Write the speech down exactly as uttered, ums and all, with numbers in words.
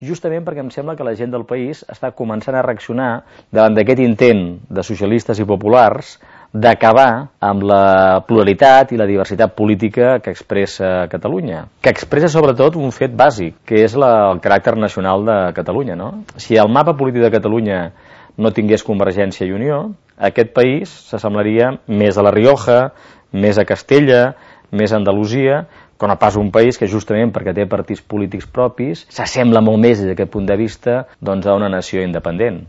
Justament perquè em sembla que la gent del país està començant a reaccionar davant d'aquest intent de socialistes i populars d'acabar amb la pluralitat i la diversitat política que expressa Catalunya, que expressa sobretot un fet bàsic, que és la, el caràcter nacional de Catalunya, no? Si el mapa polític de Catalunya no tingués Convergència i Unió, aquest país s'assemblaria més a la Rioja, més a Castella, més a Andalusia, que no pas un país que justament perquè té partits polítics propis s'assembla molt més des d'aquest punt de vista doncs, a una nació independent.